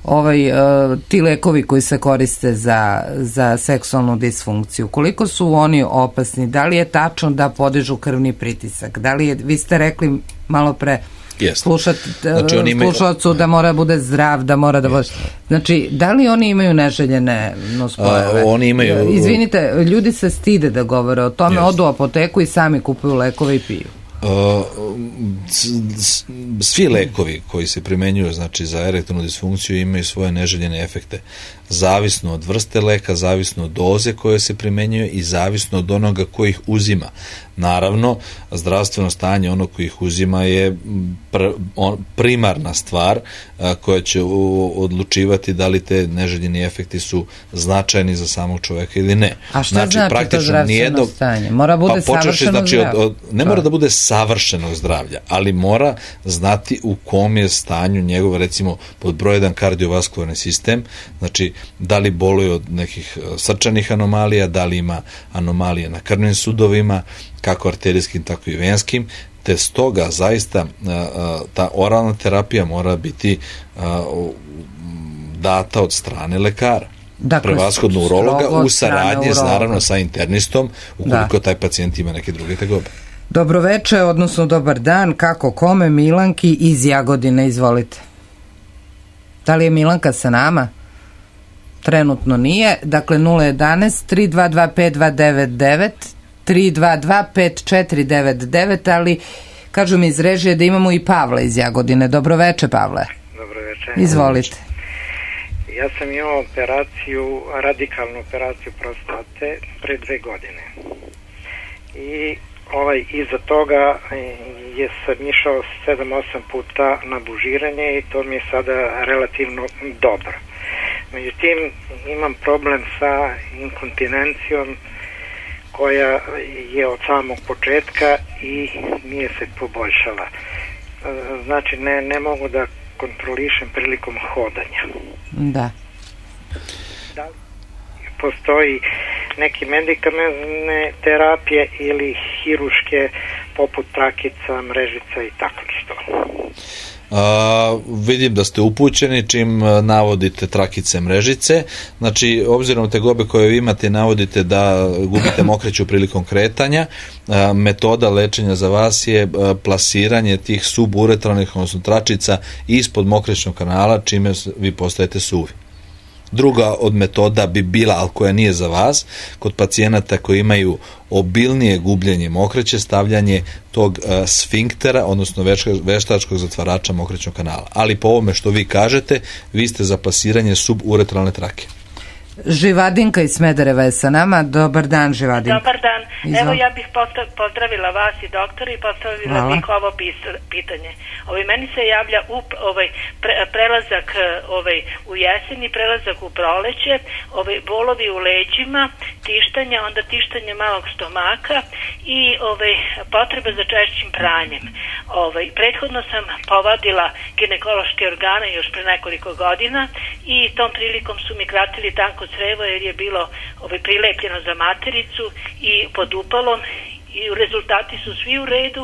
ovaj, uh, ti lekovi koji se koriste za, za seksualnu disfunkciju, koliko su oni opasni, da li je tačno da podižu krvni pritisak, da li je, vi ste rekli malo pre, slušati znači, slušalcu da mora da bude zdrav, da mora da bude... Znači, da li oni imaju neželjene nuspojave? A, oni imaju... Izvinite, ljudi se stide da govore o tome, yes. Odu u apoteku i sami kupuju lekove i piju. Uh, svi lekovi koji se primenjuju, znači, za erektilnu disfunkciju imaju svoje neželjene efekte. Zavisno od vrste leka, zavisno od doze koje se primenjuje i zavisno od onoga ko ih uzima. Naravno, zdravstveno stanje onog koji ih uzima je pr, on, primarna stvar a, koja će u, odlučivati da li te neželjeni efekti su značajni za samog čoveka ili ne. A šta znači, znači to zdravstveno nijedno, stanje? Mora bude pa, savršeno znači, zdravlje? Od, od, ne mora da bude savršenog zdravlja, ali mora znati u kom je stanju njegov, recimo, pod broj jedan kardiovaskularni sistem, znači da li boluje od nekih srčanih anomalija, da li ima anomalije na krvnim sudovima, kako arterijskim, tako i venskim, te stoga zaista ta oralna terapija mora biti data od strane lekara. Dakle, prevashodno urologa u saradnji naravno sa internistom ukoliko da. taj pacijent ima neke druge tegobe. Dobroveče, odnosno dobar dan, kako kome, Milanki iz Jagodine, izvolite. Da li je Milanka sa nama? Trenutno nije, dakle nula jedanaest tri dva dva pet dva devet devet tri dva dva pet četiri devet devet, ali kažu mi iz režije da imamo i Pavla iz Jagodine. Dobroveče, Pavle. Dobroveče. Izvolite. Ja sam imao operaciju, radikalnu operaciju prostate pre dve godine. I ovaj, iza toga je sam išao sedam osam puta na bužiranje i to mi je sada relativno dobro. Međutim, imam problem sa inkontinencijom koja je od samog početka i nije se poboljšala. Znači, ne, ne mogu da kontrolišem prilikom hodanja. Da. Da li postoji neki medikamentne terapije ili hiruške poput trakica, mrežica i tako što? Uh, vidim da ste upućeni čim navodite trakice, mrežice, znači obzirom te gobe koje vi imate navodite da gubite mokreću prilikom kretanja, uh, metoda lečenja za vas je uh, plasiranje tih suburetralnih, odnosno tračica ispod mokrećnog kanala, čime vi postajete suvi. Druga od metoda bi bila, ali koja nije za vas, kod pacijenata koji imaju obilnije gubljenje mokreće, stavljanje tog uh, sfinktera, odnosno veštačkog zatvarača mokrećnog kanala. Ali po ovome što vi kažete, vi ste za plasiranje suburetralne trake. Živadinka iz Smedereva je sa nama. Dobar dan, Živadinka. Dobar dan. Izval. Evo, ja bih pozdravila vas i doktora i postavila Hvala. bih ovo pitanje. Ovaj, meni se javlja up, ovaj, pre, prelazak ovaj, u jesen i prelazak u proleće, ovaj, bolovi u leđima tištanja, onda tištanje malog stomaka i ovaj, potrebe za češćim pranjem. Ovaj, prethodno sam povadila ginekološke organe još pre nekoliko godina i tom prilikom su mi kratili tanko crevo jer je bilo ovaj, prilepljeno za matericu i pod upalom i rezultati su svi u redu.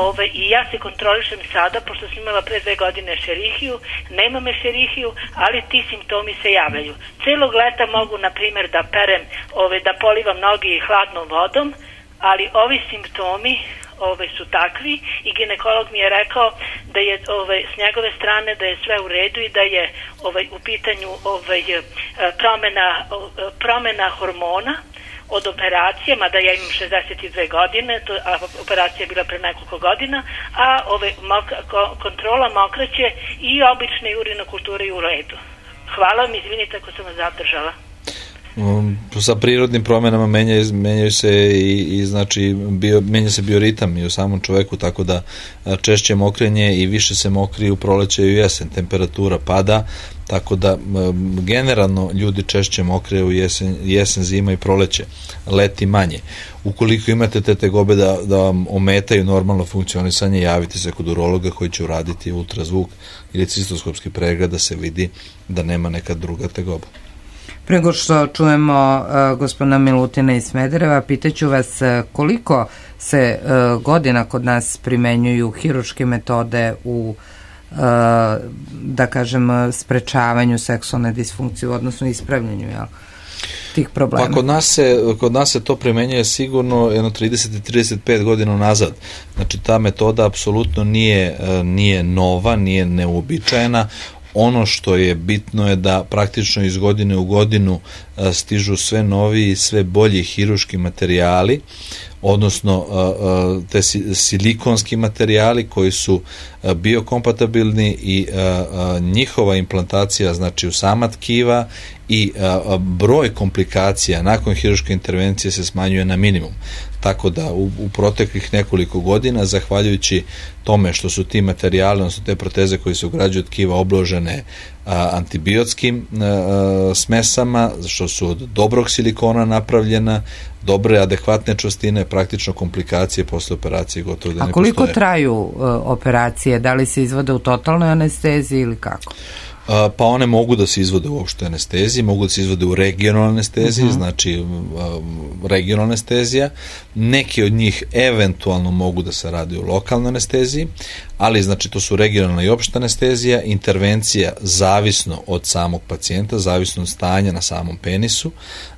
Ove, i ja se kontrolišem sada, pošto sam imala pre dve godine šerihiju, nema me šerihiju, ali ti simptomi se javljaju. Celog leta mogu, na primjer, da perem, ove, da polivam noge hladnom vodom, ali ovi simptomi ove, su takvi i ginekolog mi je rekao da je ove, s njegove strane da je sve u redu i da je ove, u pitanju ove, promena, promena hormona od operacije, mada ja imam šezdeset dve godine, to, a operacija je bila pre nekoliko godina, a ove, mok, ko, kontrola mokraće i obične urinokulture i u redu. Hvala mi, izvinite ako sam vas zadržala. Um, sa prirodnim promenama menjaju, menjaju se i, i znači bio, menja se bioritam i u samom čoveku, tako da češće mokrenje i više se mokri u proleće i u jesen, temperatura pada, tako da um, generalno ljudi češće mokre u jesen, jesen, zima i proleće, leti manje. Ukoliko imate te tegobe da, da vam ometaju normalno funkcionisanje, javite se kod urologa koji će uraditi ultrazvuk ili cistoskopski pregled da se vidi da nema neka druga tegoba. Prego što čujemo uh, gospodina Milutina iz Smedereva, pitaću vas uh, koliko se uh, godina kod nas primenjuju hiruške metode u uh, da kažem sprečavanju seksualne disfunkcije, odnosno ispravljanju, jel, tih problema? Pa kod nas se, kod nas se to primenjuje sigurno jedno trideset do trideset pet godina nazad. Znači ta metoda apsolutno nije, uh, nije nova, nije neuobičajena. Ono što je bitno je da praktično iz godine u godinu stižu sve novi i sve bolji hiruški materijali, odnosno te silikonski materijali koji su biokompatibilni i njihova implantacija znači u sama tkiva i broj komplikacija nakon hiruške intervencije se smanjuje na minimum. Tako da u, u proteklih nekoliko godina, zahvaljujući tome što su ti materijali, odnosno te proteze koje se ugrađuju od tkiva obložene a, antibiotskim a, smesama, što su od dobrog silikona napravljena, dobre, adekvatne čvrstine, praktično komplikacije posle operacije gotovo da ne postoje. A koliko traju uh, operacije? Da li se izvode u totalnoj anesteziji ili kako? Pa one mogu da se izvode u opštoj anesteziji, mogu da se izvode u regionalnoj anesteziji, uh-huh. znači regionalna anestezija. Neki od njih eventualno mogu da se radi u lokalnoj anesteziji, ali znači to su regionalna i opšta anestezija, intervencija zavisno od samog pacijenta, zavisno od stanja na samom penisu,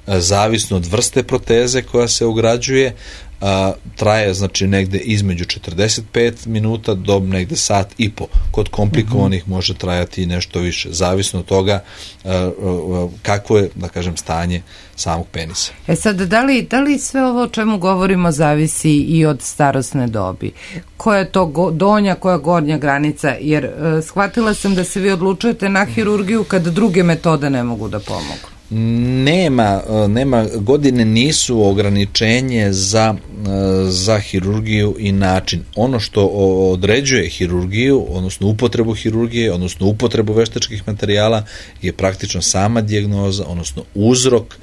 zavisno od vrste proteze koja se ugrađuje, a, traje znači negde između četrdeset pet minuta do negde sat i po. Kod komplikovanih uh-huh. može trajati nešto više, zavisno od toga a, a, kako je, da kažem, stanje samog penisa. E sad, da li, da li sve ovo o čemu govorimo zavisi i od starosne dobi? Koja je to go, donja, koja je gornja granica? Jer e, shvatila sam da se vi odlučujete na hirurgiju kad druge metode ne mogu da pomogu. Nema, nema, godine nisu ograničenje za, za hirurgiju i način. Ono što određuje hirurgiju, odnosno upotrebu hirurgije, odnosno upotrebu veštačkih materijala je praktično sama dijagnoza, odnosno uzrok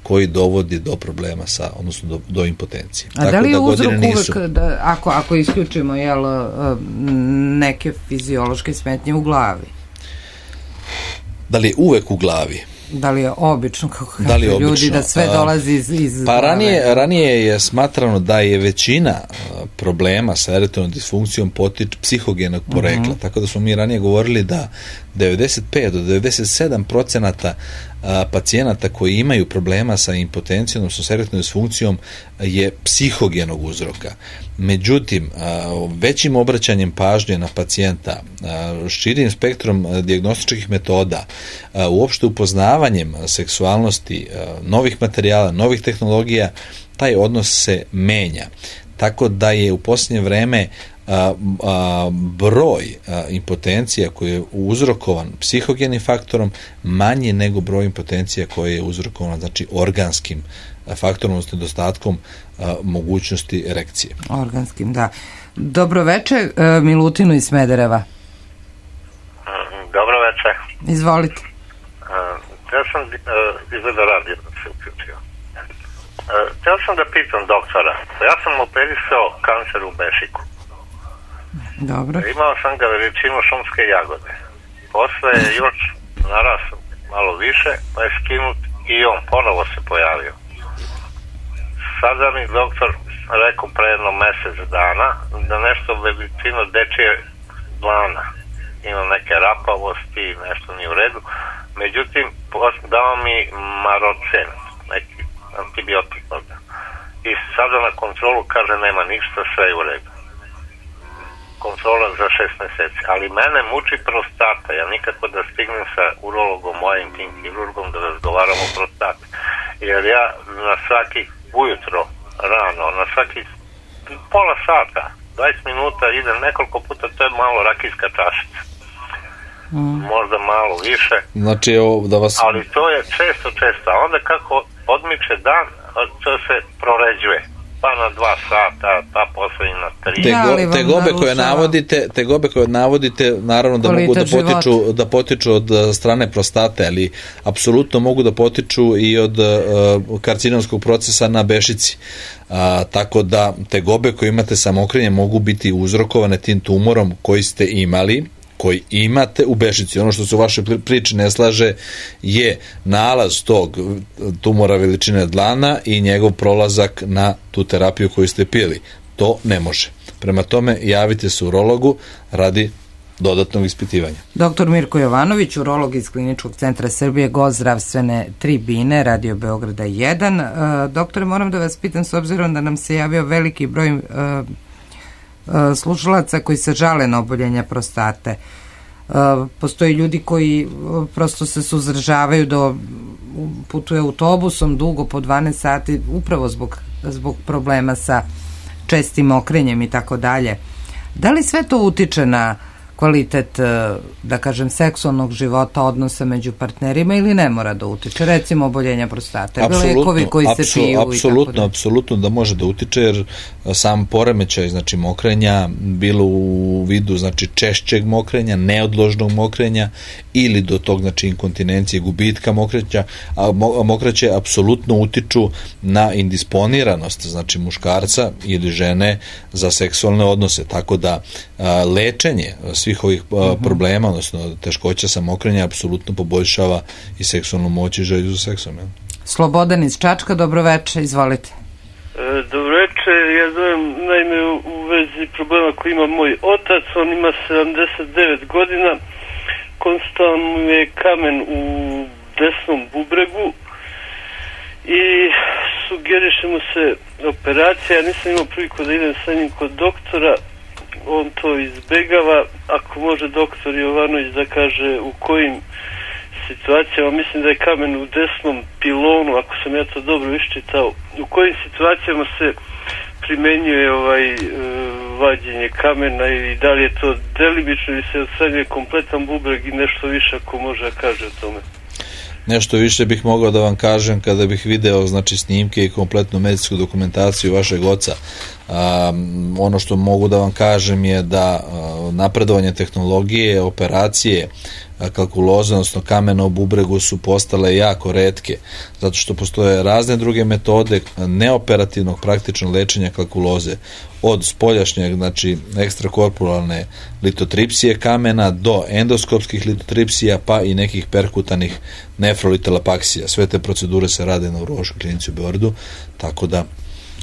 koji dovodi do problema sa, odnosno do, do impotencije. A da li je uzrok uvek, da, ako, ako isključimo jel, neke fiziološke smetnje u glavi? Da li je uvek u glavi? Da li je obično, kako da kažu ljudi, da sve dolazi iz, iz pa ranije, ranije je smatrano da je većina problema sa erektilnom disfunkcijom potiče psihogenog porekla, uh-huh. tako da smo mi ranije govorili da devedeset pet do devedeset sedam procenata pacijenata koji imaju problema sa impotencijom, odnosno sa erektilnom disfunkcijom je psihogenog uzroka. Međutim, većim obraćanjem pažnje na pacijenta, širim spektrom dijagnostičkih metoda, uopšte upoznavanjem seksualnosti, novih materijala, novih tehnologija, taj odnos se menja. Tako da je u posljednje vreme A, a, broj a, impotencija koji je uzrokovan psihogenim faktorom manji nego broj impotencija koji je uzrokovan znači organskim a, faktorom, odnosno nedostatkom a, mogućnosti erekcije. Organskim, da. Dobro večer, Milutinu iz Smedereva. Dobro večer. Izvolite. Ja sam izgleda radio da se uključio. Htio sam da pitam doktora, ja sam operisao kancer u bešiku. Dobro. Imao sam ga veličinu šumske jagode. Posle je još narasao malo više, pa je skinut i on ponovo se pojavio. Sada mi doktor rekao pre jedno mesec dana da nešto veličinu dečije dlana. Ima neke rapavosti, nešto nije u redu. Međutim, dao mi marocen, neki antibiotik. I sada na kontrolu kaže nema ništa, sve je u redu. Kontrola za šest meseci. Ali mene muči prostata. Ja nikako da stignem sa urologom, mojim tim kirurgom da razgovaram o prostati. Jer ja na svaki ujutro, rano, na svaki pola sata, dvadeset minuta idem nekoliko puta, to je malo rakijska čašica. Mm. Možda malo više. Znači, da vas... Ali to je često, često. A onda kako odmiče dan, to se proređuje. Pa na dva sata, pa posle i na tri. Te, go, te gobe koje navodite, te gobe koje navodite, naravno da mogu da potiču, da potiču od strane prostate, ali apsolutno mogu da potiču i od uh, karcinomskog procesa na bešici. Uh, tako da te gobe koje imate sa mokrenjem mogu biti uzrokovane tim tumorom koji ste imali, koji imate u bešici. Ono što se u vašoj priči ne slaže je nalaz tog tumora veličine dlana i njegov prolazak na tu terapiju koju ste pili. To ne može. Prema tome, javite se urologu radi dodatnog ispitivanja. Doktor Mirko Jovanović, urolog iz Kliničkog centra Srbije, gost zdravstvene tribine, Radio Beograda jedan. E, doktore, moram da vas pitam, s obzirom da nam se javio veliki broj e, slušalaca koji se žale na oboljenja prostate. Postoji ljudi koji prosto se suzdržavaju da putuje autobusom dugo po dvanaest sati upravo zbog, zbog problema sa čestim mokrenjem i tako dalje. Da li sve to utiče na kvalitet, da kažem, seksualnog života, odnosa među partnerima ili ne mora da utiče? Recimo oboljenja prostate, lekovi koji se piju. Apsolutno, apsolutno da može da utiče, jer sam poremećaj, znači mokrenja, bilo u vidu znači češćeg mokrenja, neodložnog mokrenja ili do tog znači inkontinencije, gubitka mokreća, a mokraće apsolutno utiču na indisponiranost znači muškarca ili žene za seksualne odnose, tako da a, lečenje svih ovih a, problema, odnosno teškoća sa mokrenja apsolutno poboljšava i seksualnu moć i želju za seksom. Ja? Slobodan iz Čačka, dobroveče, izvolite. E, dobroveče, ja zovem naime u, u vezi problema koji ima moj otac, on ima sedamdeset devet godina, konstantno mu je kamen u desnom bubregu i sugeriše mu se operacija. Ja nisam imao priliku da idem sa njim kod doktora, on to izbegava. Ako može doktor Jovanović da kaže u kojim situacijama, mislim da je kamen u desnom pilonu, ako sam ja to dobro iščitao, u kojim situacijama se primenjuje ovaj e, vađenje kamena i da li je to delimično ili se odstranjuje kompletan bubreg i nešto više ako može da kaže o tome. Nešto više bih mogao da vam kažem kada bih video znači snimke i kompletnu medicinsku dokumentaciju vašeg oca. Um, ono što mogu da vam kažem je da uh, napredovanje tehnologije, operacije kalkuloze, odnosno kamena u bubregu su postale jako retke, zato što postoje razne druge metode neoperativnog praktičnog lečenja kalkuloze, od spoljašnjeg, znači ekstrakorporalne litotripsije kamena do endoskopskih litotripsija, pa i nekih perkutanih nefrolitalapaksija. Sve te procedure se rade na urološkoj klinici u Beogradu, tako da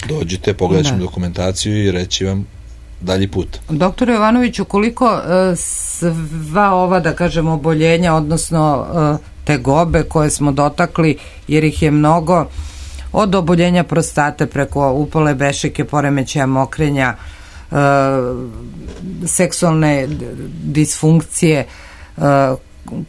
dođite, pogledat ćemo dokumentaciju i reći vam dalji put. Doktor Jovanoviću, koliko uh, sva ova, da kažemo, oboljenja, odnosno uh, tegobe koje smo dotakli, jer ih je mnogo, od oboljenja prostate preko upale bešike, poremećaja mokrenja, uh, seksualne disfunkcije, uh,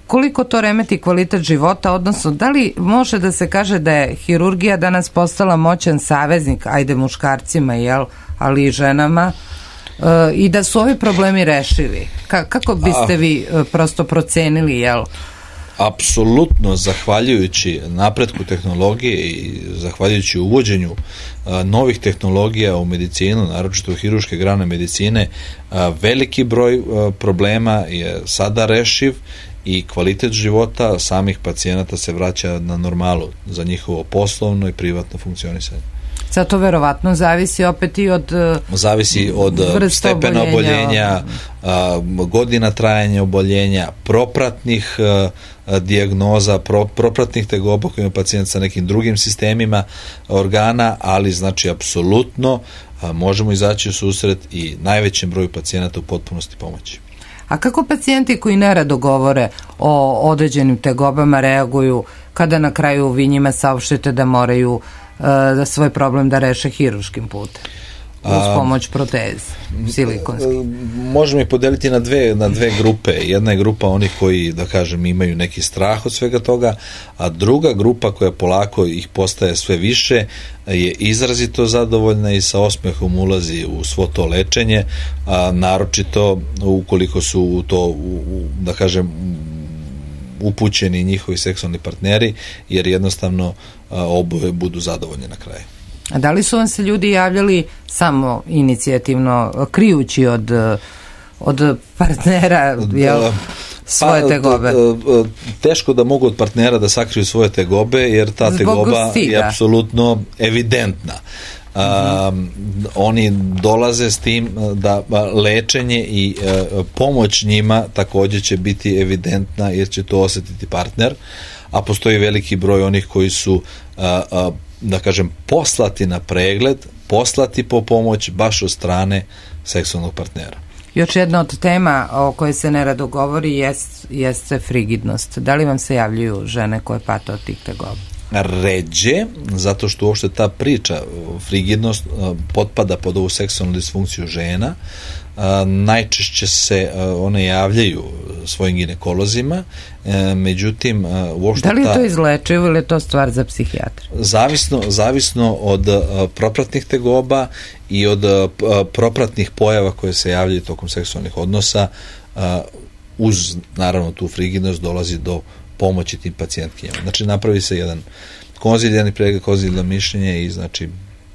koliko to remeti kvalitet života, odnosno da li može da se kaže da je hirurgija danas postala moćan saveznik, ajde muškarcima, jel, ali i ženama, uh, i da su ovi problemi rešivi? Ka- kako biste vi uh, prosto procenili, jel? Apsolutno, zahvaljujući napretku tehnologije i zahvaljujući uvođenju a, novih tehnologija u medicinu, naročito u hirurške grane medicine, a, veliki broj a, problema je sada rešiv i kvalitet života samih pacijenata se vraća na normalu za njihovo poslovno i privatno funkcionisanje. Sad to verovatno zavisi opet i od zavisi od stepena oboljenja, godina trajanja oboljenja, propratnih dijagnoza, pro, propratnih tegoba koji ima pacijent sa nekim drugim sistemima organa, ali znači apsolutno možemo izaći u susret i najvećem broju pacijenata u potpunosti pomoći. A kako pacijenti koji nerado govore o određenim tegobama reaguju kada na kraju vi njima saopštite da moraju da svoj problem da reše hiruškim putem uz pomoć proteze silikonske? Možemo ih podeliti na dve, na dve grupe. Jedna je grupa onih koji, da kažem, imaju neki strah od svega toga, a druga grupa koja polako ih postaje sve više je izrazito zadovoljna i sa osmehom ulazi u svo to lečenje, a naročito ukoliko su u to, u, da kažem, upućeni njihovi seksualni partneri, jer jednostavno oboje budu zadovoljni na kraju. A da li su vam se ljudi javljali samo inicijativno, krijući od, od partnera jel, svoje tegobe? Pa, teško da mogu od partnera da sakriju svoje tegobe, jer ta Zbog tegoba stiga. je apsolutno evidentna. Um, oni dolaze s tim da lečenje i uh, pomoć njima također će biti evidentna, jer će to osjetiti partner, a postoji veliki broj onih koji su uh, uh, da kažem poslati na pregled, poslati po pomoć baš od strane seksualnog partnera. Još jedna od tema o kojoj se nerado govori jest, jeste frigidnost. Da li vam se javljaju žene koje pate od tih tegoba? Ređe, zato što uopšte ta priča, frigidnost, potpada pod ovu seksualnu disfunkciju žena. Najčešće se one javljaju svojim ginekolozima, međutim uopšte da li ta, to izlečuju ili je to stvar za psihijatra? Zavisno, zavisno od propratnih tegoba i od propratnih pojava koje se javljaju tokom seksualnih odnosa, uz naravno tu frigidnost dolazi do pomoći tim pacijentkinjama. Znači napravi se jedan konzilijarni pregled, konzilijarno mišljenje i znači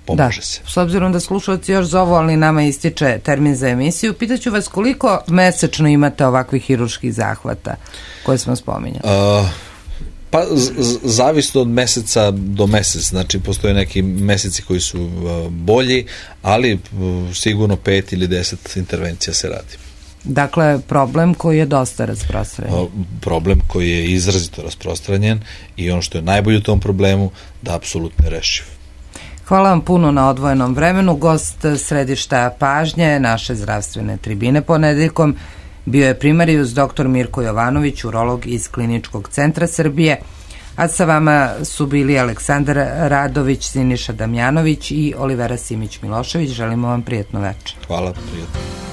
pomože da, se. S obzirom da slušalci još zovu, ali nama ističe termin za emisiju, pitaću vas koliko mesečno imate ovakvih hiruških zahvata koje smo spominjali? Uh, pa z- zavisno od meseca do mesec, znači postoje neki meseci koji su uh, bolji, ali uh, sigurno pet ili deset intervencija se radi. Dakle, problem koji je dosta rasprostranjen. Problem koji je izrazito rasprostranjen i ono što je najbolje u tom problemu, da apsolutno je rešiv. Hvala vam puno na odvojenom vremenu. Gost središta pažnje naše zdravstvene tribine ponedeljkom bio je primarijus doktor Mirko Jovanović, urolog iz Kliničkog centra Srbije, a sa vama su bili Aleksandar Radović, Siniša Damjanović i Olivera Simić Milošević. Želimo vam prijatno večer. Hvala, prijatno.